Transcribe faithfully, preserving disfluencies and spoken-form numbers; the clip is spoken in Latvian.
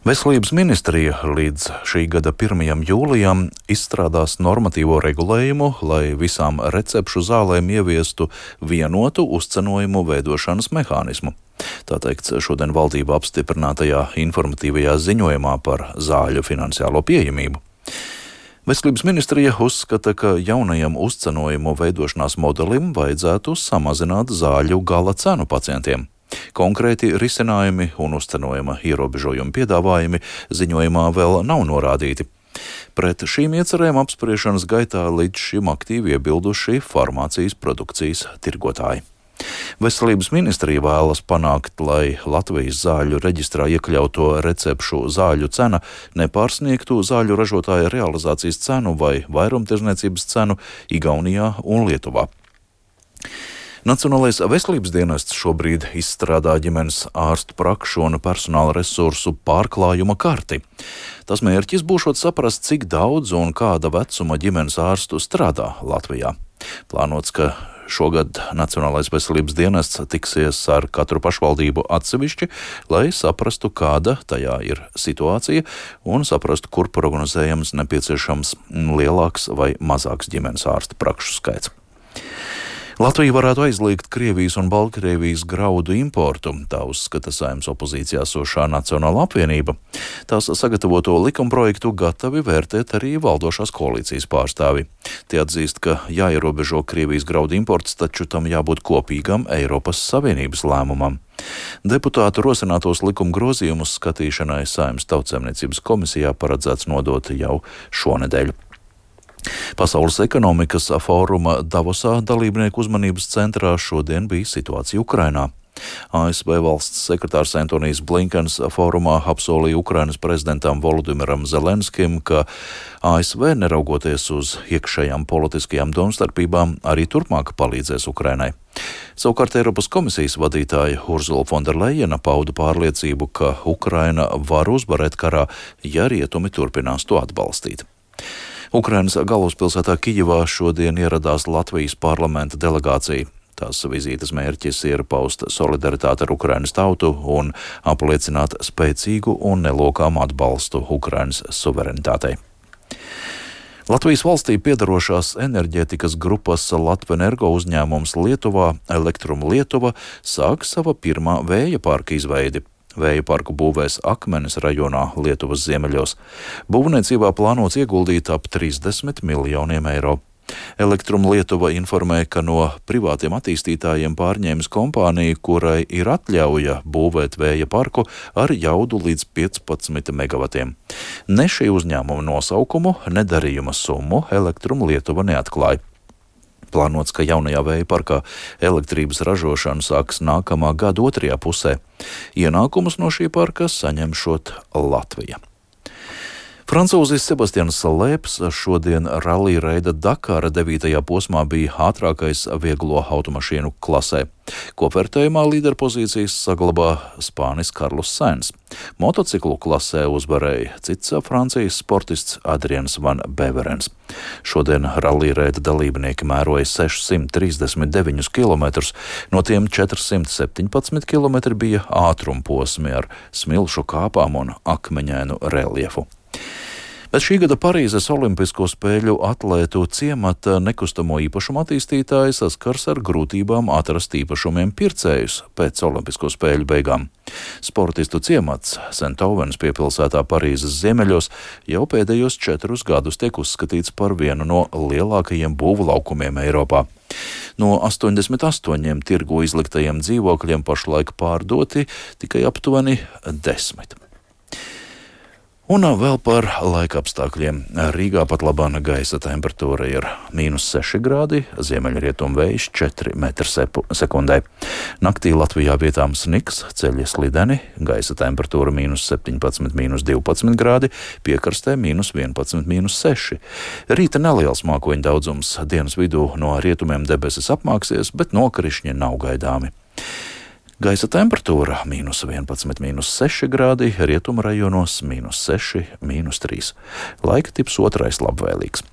Veselības ministrija līdz šī gada pirmajam jūlijam izstrādās normatīvo regulējumu, lai visām recepšu zālēm ieviestu vienotu uzcenojumu veidošanas mehānismu. Tā teikts šodien valdība apstiprinātajā informatīvajā ziņojumā par zāļu finansiālo pieejamību. Veselības ministrija uzskata, ka jaunajam uzcenojumu veidošanās modelim vajadzētu samazināt zāļu gala cenu pacientiem. Konkrēti risinājumi un uzcenojuma ierobežojumi piedāvājumi ziņojumā vēl nav norādīti. Pret šīm iecerēm apspriešanas gaitā līdz šim aktīvi iebilduši farmācijas produkcijas tirgotāji. Veselības ministrija vēlas panākt, lai Latvijas zāļu reģistrā iekļauto recepšu zāļu cena nepārsniegtu zāļu ražotāja realizācijas cenu vai vairumtirdzniecības cenu Igaunijā un Lietuvā. Nacionālais veselības dienests šobrīd izstrādā ģimenes ārstu prakšu un personāla resursu pārklājuma karti. Tas mērķis būšot saprast, cik daudz un kāda vecuma ģimenes ārstu strādā Latvijā. Plānots, ka šogad Nacionālais veselības dienests tiksies ar katru pašvaldību atsevišķi, lai saprastu, kāda tajā ir situācija un saprastu, kur prognozējams nepieciešams lielāks vai mazāks ģimenes ārstu prakšu skaits. Latvija varētu aizliegt Krievijas un Baltkrievijas graudu importu, tā uzskata Saeimas opozīcijā esošā Nacionāla apvienība. Tās sagatavoto likumprojektu gatavi vērtēt arī valdošās koalīcijas pārstāvi. Tie atzīst, ka jāierobežo Krievijas graudu imports, taču tam jābūt kopīgam Eiropas Savienības lēmumam. Deputātu rosinātos likuma grozījumus skatīšanai Saeimas Tautsaimniecības komisijā paredzēts nodot jau šonedēļ. Pasaules ekonomikas fóruma Davosā dalībnieku uzmanības centrā šodien bija situācija Ukrainā. A S V valsts sekretārs Antonijs Blinkens fórumā apsolīja Ukrainas prezidentam Volodimiram Zelenskim, ka A S V, neraugoties uz iekšējām politiskajām domstarpībām, arī turpmāk palīdzēs Ukrainai. Savukārt Eiropas komisijas vadītāja Urzula Fonderlejena pauda pārliecību, ka Ukraina var uzvarēt karā, ja rietumi turpinās to atbalstīt. Ukrainas galvaspilsētā Kijevā šodien ieradās Latvijas parlamenta delegācija. Tās vizītes mērķis ir paust solidaritāti ar Ukrainas tautu un apliecināt spēcīgu un nelokāmu atbalstu Ukrainas suverenitātei. Latvijas valstī piedarošās enerģētikas grupas Latvenergo uzņēmums Lietuvā, Elektrum Lietuva, sāk sava pirmā vēja parka izveidi. Vēja parku būvēs Akmenes rajonā Lietuvas ziemeļos. Būvniecībā plānots ieguldīt ap trīsdesmit miljoniem eiro. Elektrum Lietuva informē, ka no privātiem attīstītājiem pārņēmis kompāniju, kurai ir atļauja būvēt vēja parku ar jaudu līdz piecpadsmit megavatiem. Ne šī uzņēmuma nosaukumu, ne darījuma summu Elektrum Lietuva neatklāja. Plānots, ka jaunajā vēja parkā elektrības ražošana sāks nākamā gada otrajā pusē. Ienākumus no šī parka saņemšot Latvija. Francūzis Sebastians Lēps šodien rallija reida Dakara devītajā posmā bija ātrākais vieglo automašīnu klasē. Kopvērtējumā līderpozīcijas saglabā Spānis Karlos Sainz. Motociklu klasē uzvarēja cits Francijas sportists Adrians Van Beverens. Šodien rallija reida dalībnieki mēroja sešsimt trīsdesmit deviņus kilometrus, no tiem četrsimt septiņpadsmit kilometri bija ātrumposmi ar smilšu kāpām un akmeņainu reljefu. Bet šī gada Parīzes Olimpisko spēļu atlētu ciemata nekustamo īpašumu attīstītāji saskars ar grūtībām atrast īpašumiem pircējus pēc Olimpisko spēļu beigām. Sportistu ciemats Sentovens piepilsētā Parīzes ziemeļos jau pēdējos četrus gadus tiek uzskatīts par vienu no lielākajiem būvlaukumiem Eiropā. No astoņdesmit astoņiem tirgu izliktajiem dzīvokļiem pašlaik pārdoti tikai aptuveni desmit. Un vēl par laika apstākļiem. Rīgā pat labāna gaisa temperatūra ir mīnus seši grādi, ziemeļrietumu vējš četri metri sekundē. Naktī Latvijā vietām sniks, ceļi slideni, gaisa temperatūra mīnus septiņpadsmit, mīnus divpadsmit grādi, piekrastē mīnus vienpadsmit, mīnus seši. Rīta neliels mākoņu daudzums, dienas vidū no rietumiem debesis apmāksies, bet nokrišņi nav gaidāmi. Gaisa temperatūra mīnus vienpadsmit, mīnus seši grādi, rietuma rajonos mīnus seši, mīnus trīs. Laika tips otrais labvēlīgs.